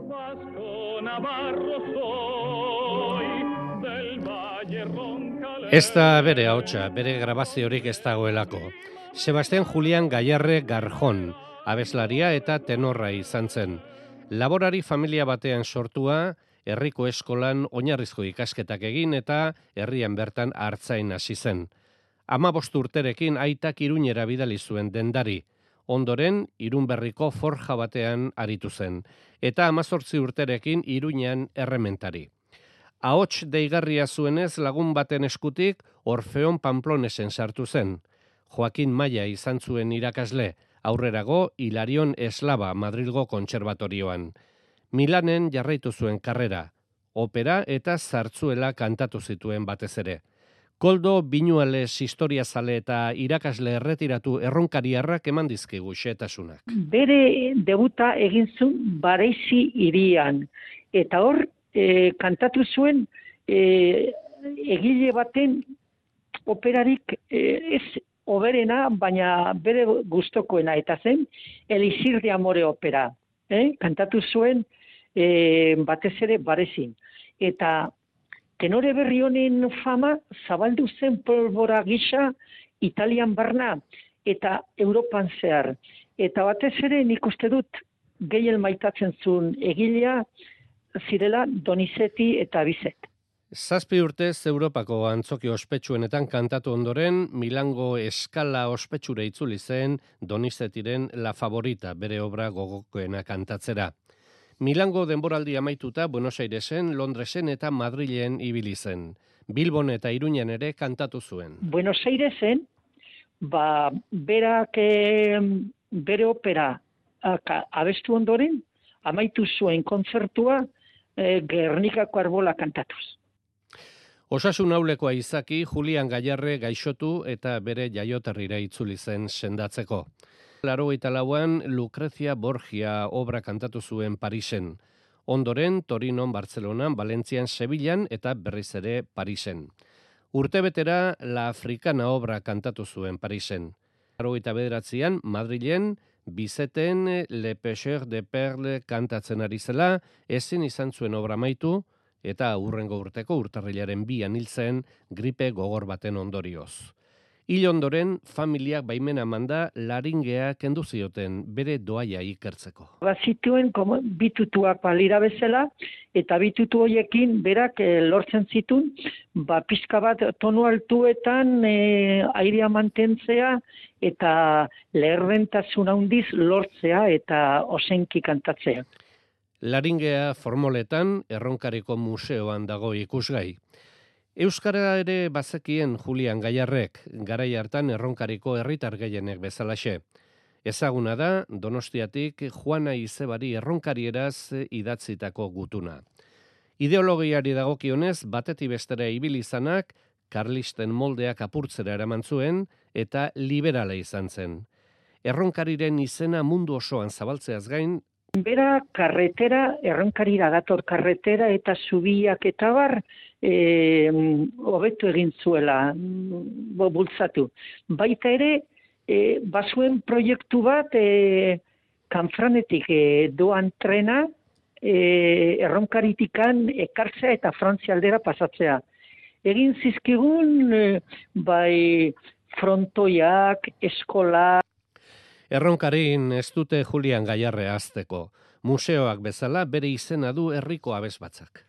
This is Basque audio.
Vasco Navarro soy, del Valle Roncalén. Ez da bere ahotsa, bere grabaziorik ez dagoelako. Sebastián Julián Gayarre Garjon, abeslaria eta tenorra izan zen. Laborari familia batean sortua, herriko eskolan oinarrizko ikasketak egin eta herrian bertan artzain hasi zen. 15 urterekin aitak Iruñera bidali zuen dendari. Ondoren, Irunberriko forja batean aritu zen. Eta 18 urterekin Iruñean errementari. Ahots deigarria zuenez lagun baten eskutik Orfeon Pamplonesen sartu zen. Joaquin Maia izan zuen irakasle, aurrerago Hilarion Eslaba Madrilgo kontserbatorioan. Milanen jarraitu zuen karrera, opera eta zartzuela kantatu zituen batez ere. Koldo Binuales historiazale eta irakasle erretiratu erronkariarrak eman dizkigu xehetasunak. Bere debuta egin zuen Baresi hirian, eta hor kantatu zuen egile baten operarik ez oberena, baina bere gustokoena, eta zen Elixir de Amore opera. Kantatu zuen batez ere Baresin. Eta tenore berri honen fama zabaldu zen polbora gisa Italian barna eta Europan zehar. Eta batez ere nik uste dut gehien maitatzen zuen egilea zirela Donizetti eta Bizet. 7 urtez Europako antzoki ospetsuenetan kantatu ondoren, Milango eskala ospetsura itzuli zen Donizettiren La Favorita, bere obra gogokoena kantatzera. Milango denboraldi amaituta Buenos Airesen, Londresen eta Madrilen ibili zen. Bilbon eta Iruñan ere kantatu zuen. Buenos Airesen, berak bere opera abestu ondoren, amaitu zuen kontzertua Gernikako Arbola kantatuz. Osasun aulekoa izaki, Julián Gayarre gaixotu eta bere jaioterrira itzuli zen sendatzeko. 84an Lucrecia Borgia obra kantatu zuen Parisen. Ondoren Torinon, Bartzelonan, Valentzian, Sevillan eta berriz ere Parisen. Urtebetera La Africana obra kantatu zuen Parisen. 89an Madrilen Bizeten Le Pêcheur de Perle kantatzen ari zela, ezin izan zuen obra amaitu, eta hurrengo urteko urtarrilaren 2an hil zen gripe gogor baten ondorioz. Hil ondoren, familiak baimena manda laringea kendu zioten bere doaia ikertzeko. Bazituen bitutuak balira bezala, eta bitutu horiekin berak lortzen zituen, pixka bat tonu altuetan airea mantentzea, eta leherrentasun handiz lortzea eta osenki kantatzea. Laringea formoletan Erronkariko museoan dago ikusgai. Euskara ere bazekien Julián Gayarrek, garai hartan Erronkariko herritar gehienek bezalaxe. Ezaguna da Donostiatik Juana Izebari erronkarieraz idatzitako gutuna. Ideologiari dagokionez batetik bestera ibili izanak, karlisten moldeak apurtzera eraman zuen eta liberala izan zen. Erronkariren izena mundu osoan zabaltzeaz gain, bera karretera, erronkarira dator karretera eta zubiak eta bar hobetu egin zuela, bultzatu. Baita ere, bazuen proiektu bat Kanfranetik doan trena erronkaritikan ekartzea eta Frantzia aldera pasatzea. Egin zizkigun frontoiak, eskola. Erronkarin ez dute Julián Gayarre hazteko. Museoak bezala bere izena du herriko abesbatzak.